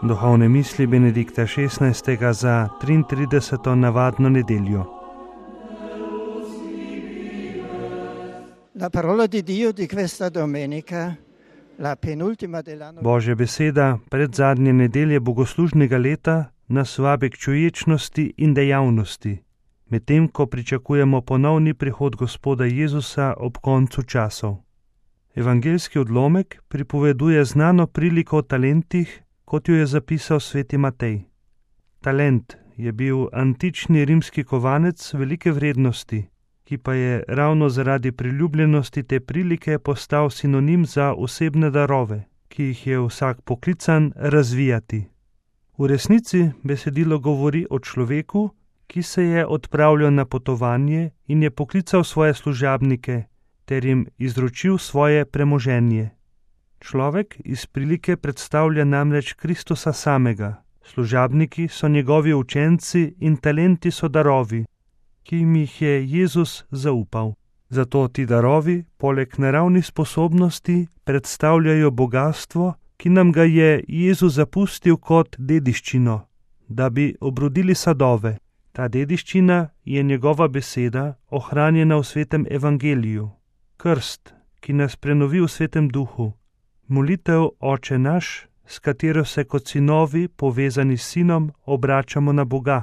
Duhovne misli Benedikta XVI. Za 33. navadno nedeljo. La parola di Dio di questa domenica, la penultima dell'anno. Božja beseda predzadnje nedelje bogoslužnega leta nas vabi k čuječnosti in dejavnosti, medtem ko pričakujemo ponovni prihod Gospoda Jezusa ob koncu časov. Evangeljski odlomek pripoveduje znano priliko o talentih, kot jo je zapisal sveti Matej. Talent je bil antični rimski kovanec velike vrednosti, ki pa je ravno zaradi priljubljenosti te prilike postal sinonim za osebne darove, ki jih je vsak poklican razvijati. V resnici besedilo govori o človeku, ki se je odpravljal na potovanje in je poklical svoje služabnike ter jim izročil svoje premoženje. Človek iz prilike predstavlja namreč Kristusa samega, služabniki so njegovi učenci in talenti so darovi, ki jim jih je Jezus zaupal. Zato ti darovi, poleg naravnih sposobnosti, predstavljajo bogastvo, ki nam ga je Jezus zapustil kot dediščino, da bi obrodili sadove. Ta dediščina je njegova beseda, ohranjena v svetem evangeliju. Krst, ki nas prenovi v svetem duhu. Molitev Oče naš, s katero se kot sinovi, povezani s sinom, obračamo na Boga.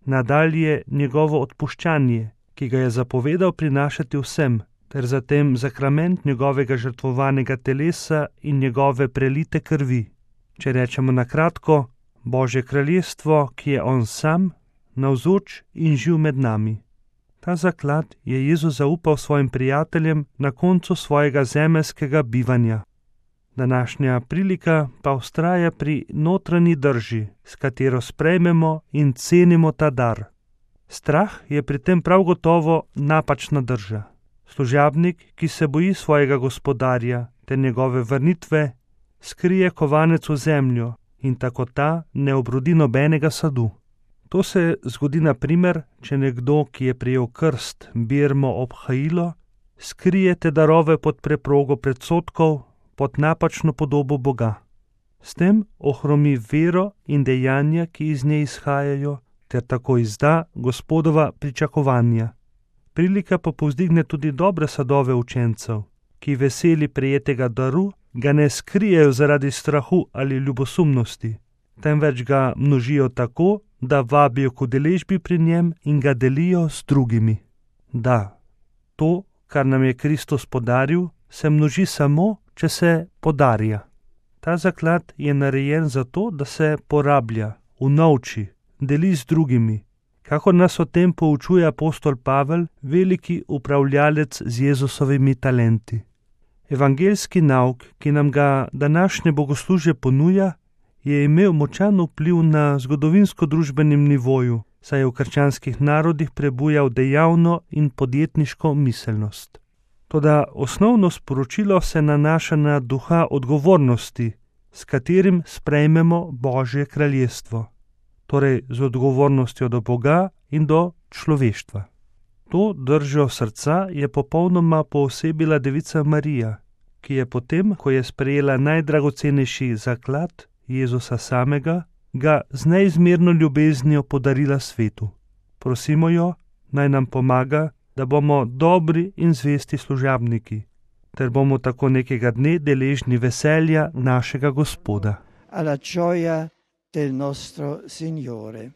Nadalje njegovo odpuščanje, ki ga je zapovedal prinašati vsem, ter zatem sakrament njegovega žrtvovanega telesa in njegove prelite krvi. Če rečemo na kratko, Božje kraljestvo, ki je on sam, navzoč in živ med nami. Ta zaklad je Jezus zaupal svojim prijateljem na koncu svojega zemeljskega bivanja. Današnja prilika pa vztraja pri notranji drži, s katero sprejmemo in cenimo ta dar. Strah je pri tem prav gotovo napačna drža. Služabnik, ki se boji svojega gospodarja ter njegove vrnitve, skrije kovanec v zemljo in tako ta ne obrodi nobenega sadu. To se zgodi na primer, če nekdo, ki je prejel krst, birmo obhajilo, skrije te darove pod preprogo predsodkov, pod napačno podobo Boga. S tem ohromi vero in dejanja, ki iz nje izhajajo, ter tako izda Gospodova pričakovanja. Prilika pa povzdigne tudi dobre sadove učencev, ki veseli prejetega daru ga ne skrijejo zaradi strahu ali ljubosumnosti, temveč ga množijo tako, da vabijo k udeležbi pri njem in ga delijo s drugimi. Da, to, kar nam je Kristus podaril, se množi samo, če se podarja. Ta zaklad je narejen zato, da se porablja, unovči, deli z drugimi, kakor nas o tem poučuje apostol Pavel, veliki upravljalec z Jezusovimi talenti. Evangeljski nauk, ki nam ga današnje bogoslužje ponuja, je imel močan vpliv na zgodovinsko-družbenem nivoju, saj je v krščanskih narodih prebujal dejavno in podjetniško miselnost. Toda osnovno sporočilo se nanaša na duha odgovornosti, s katerim sprejmemo Božje kraljestvo, torej z odgovornostjo do Boga in do človeštva. To držo srca je popolnoma poosebila devica Marija, ki je potem, ko je sprejela najdragocenejši zaklad Jezusa samega, ga z neizmerno ljubeznijo podarila svetu. Prosimo jo, naj nam pomaga, da bomo dobri in zvesti služabniki, ter bomo tako nekega dne deležni veselja našega Gospoda. Alla gioia del nostro Signore.